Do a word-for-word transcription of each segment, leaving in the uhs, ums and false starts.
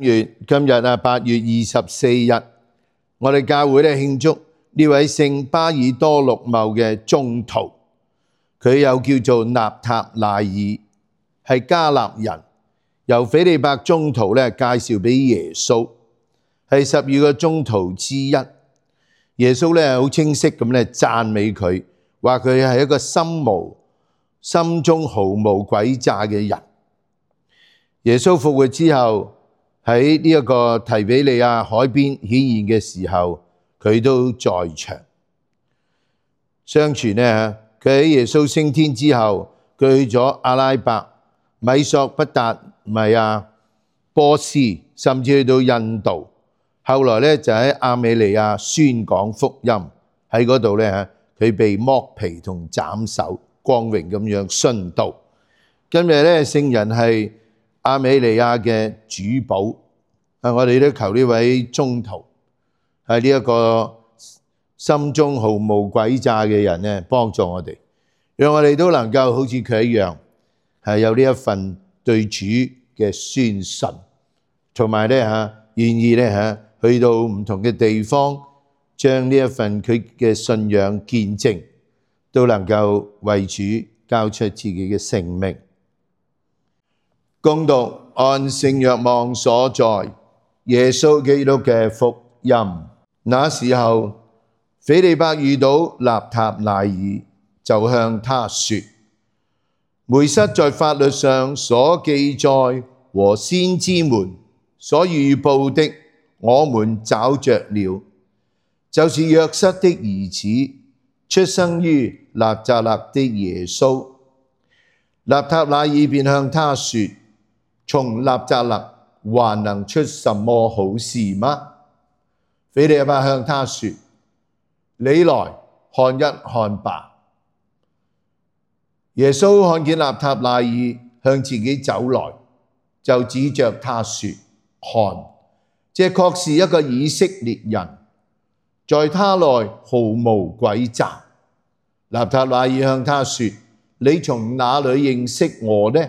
月今日啊，八月二十四日，我哋教會咧慶祝呢位聖巴爾多祿茂嘅宗徒，佢又叫做納塔乃耳，係加納人，由斐理伯宗徒咧介紹俾耶穌，係十二個宗徒之一。耶穌咧好清晰咁咧讚美佢，話佢係一個心無心中毫無詭詐嘅人。耶穌復活之後，喺呢一個提比利亞海邊顯現嘅時候，佢都在場。相傳呢，佢喺耶穌升天之後，佢去咗阿拉伯、米索不達米亞、波斯，甚至去到印度。後來咧就喺亞美尼亞宣講福音，喺嗰度咧佢被剝皮同斬首，光榮咁樣殉道。今日咧聖人係亞美尼亞嘅主保，啊！我哋都求呢位宗徒係呢一個心中毫無詭詐嘅人咧，幫助我哋，讓我哋都能夠好似佢一樣，係有呢一份對主嘅宣信，同埋咧嚇願意咧嚇去到唔同嘅地方，將呢一份佢嘅信仰見證，都能夠為主交出自己嘅性命。恭讀按聖若望所載耶穌基督嘅福音。那時候，斐理伯遇到納塔乃耳，就向他說：梅瑟在法律上所記載和先知們所預報的，我們找着了，就是約瑟的兒子，出生於納匝肋的耶穌。納塔乃耳便向他說：從納匝肋還能出什麼好事嗎？斐理伯向他說：你來看一看吧。耶穌看見納塔乃耳向自己走來，就指着他說：看，這確是一個以色列人，在他內毫無詭詐。納塔乃耳向他說：你從哪裏認識我呢？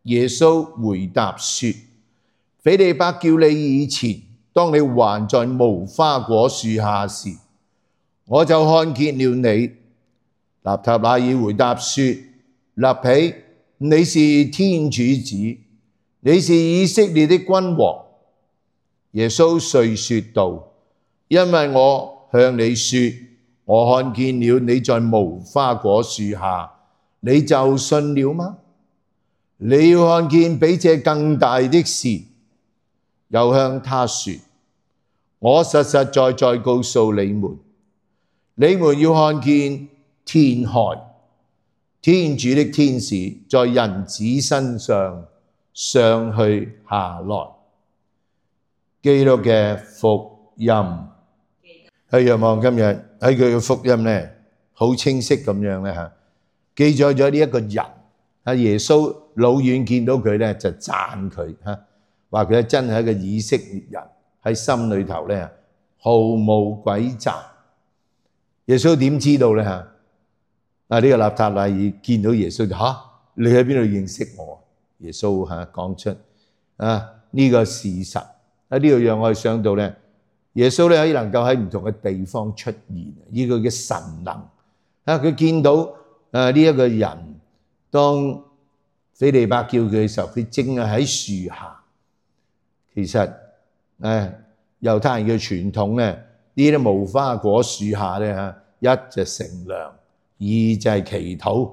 耶穌回答說：斐理伯叫你以前，當你還在無花果樹下時，我就看見了你。納塔乃耳回答說：辣彼，你是天主子，你是以色列的君王。耶穌遂說道：因為我向你說，我看見了你在無花果樹下，你就信了嗎？你要看見比這更大的事。又向他說：我實實在在告訴你們，你們要看見天開，天主的天使在人子身上上去下來。基督嘅福音。喺若望今日喺佢嘅福音咧，好清晰咁樣咧嚇，記載咗呢一個人。啊，耶穌老遠見到佢咧，就讚佢嚇，話佢真係一個以色列人，喺心裏頭咧毫無詭詐。耶穌點知道咧嚇？啊，呢個納塔乃耳見到耶穌就嚇，你喺邊度認識我？耶穌嚇講出啊呢個事實，喺呢度讓我哋想到咧，耶穌咧可以能夠喺唔同嘅地方出現，以佢嘅神能啊，佢見到啊呢一個人。當斐理伯叫佢嘅時候，佢正係喺樹下。其實誒猶太人嘅傳統咧，呢啲無花果樹下咧嚇，一就乘涼，二就係祈禱。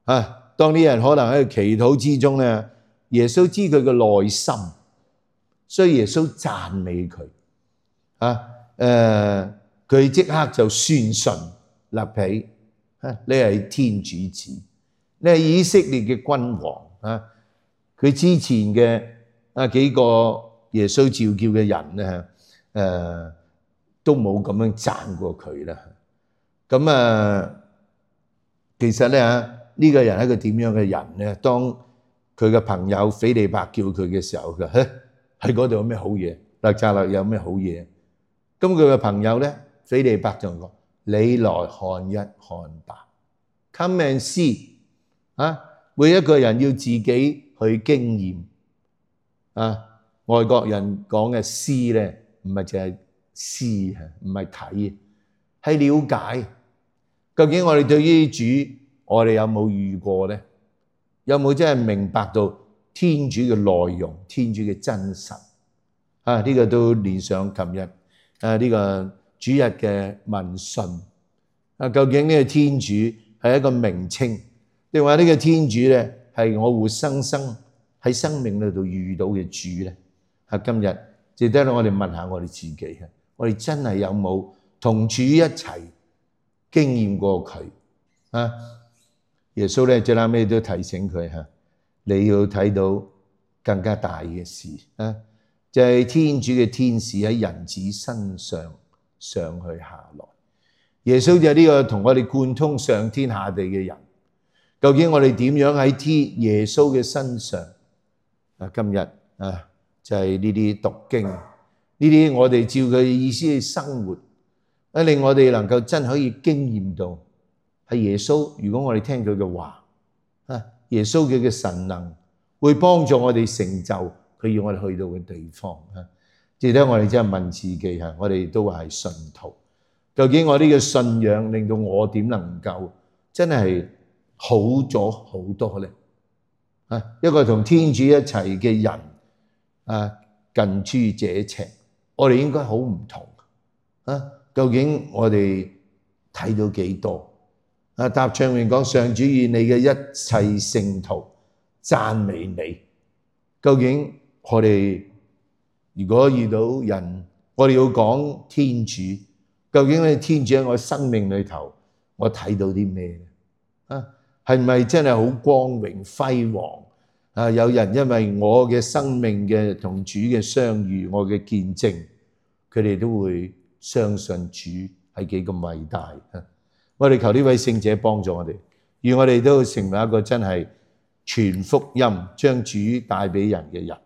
啊，當啲人可能喺祈禱之中咧，耶穌知佢嘅內心，所以耶穌讚美佢。啊誒，佢即刻就宣信辣彼，啊，你係天主子。你係以色列嘅君王啊！佢之前嘅啊幾個耶穌召叫嘅人咧，誒都冇咁樣讚過佢啦。咁啊，其實咧嚇呢個人係一個點樣嘅人咧？當佢嘅朋友斐理伯叫佢嘅時候，佢話：喺嗰度有咩好嘢？納匝肋有咩好嘢？咁佢嘅朋友咧，斐理伯就講：你來看一看吧 ，Come and see。啊！每一個人要自己去經驗啊！外國人講嘅 see 咧，唔係淨係 see 啊，唔係睇，係了解。究竟我哋對於主，我哋有冇遇過咧？有冇真係明白到天主嘅內容、天主嘅真實？啊，呢個都連上琴日啊呢個主日嘅問訊。啊，究竟呢個天主係一個名稱，定話呢個天主咧係我活生生喺生命裏度遇到嘅主咧？啊，今日值得我哋問下我哋自己，我哋真係有冇同主一齊經驗過佢啊？耶穌咧最後尾都提醒佢嚇，你要睇到更加大嘅事啊！就係天主嘅天使喺人子身上上去下來。耶穌就係呢個同我哋貫通上天下地嘅人。究竟我哋點樣喺天耶穌嘅身上啊？今日啊，就係呢啲讀經，呢啲我哋照佢意思去生活，啊令我哋能夠真可以經驗到係耶穌。如果我哋聽佢嘅話啊，耶穌佢嘅神能會幫助我哋成就佢要我哋去到嘅地方啊！值得我哋真係問自己嚇，我哋都話係信徒，究竟我呢個信仰令到我點能夠真係好咗好多咧？啊，一個同天主一齊嘅人啊，近朱者赤，我哋應該好唔同啊！究竟我哋睇到幾多？啊，答唱詠講上主與你嘅一切聖徒讚美你。究竟我哋如果遇到人，我哋要講天主，究竟咧天主喺我生命裏頭，我睇到啲咩咧？啊，係咪真係好光榮輝煌？啊，有人因為我嘅生命嘅同主嘅相遇，我嘅見證，佢哋都會相信主係幾咁偉大啊！我哋求呢位聖者幫助我哋，願我哋都成為一個真係傳福音、將主帶俾人嘅人。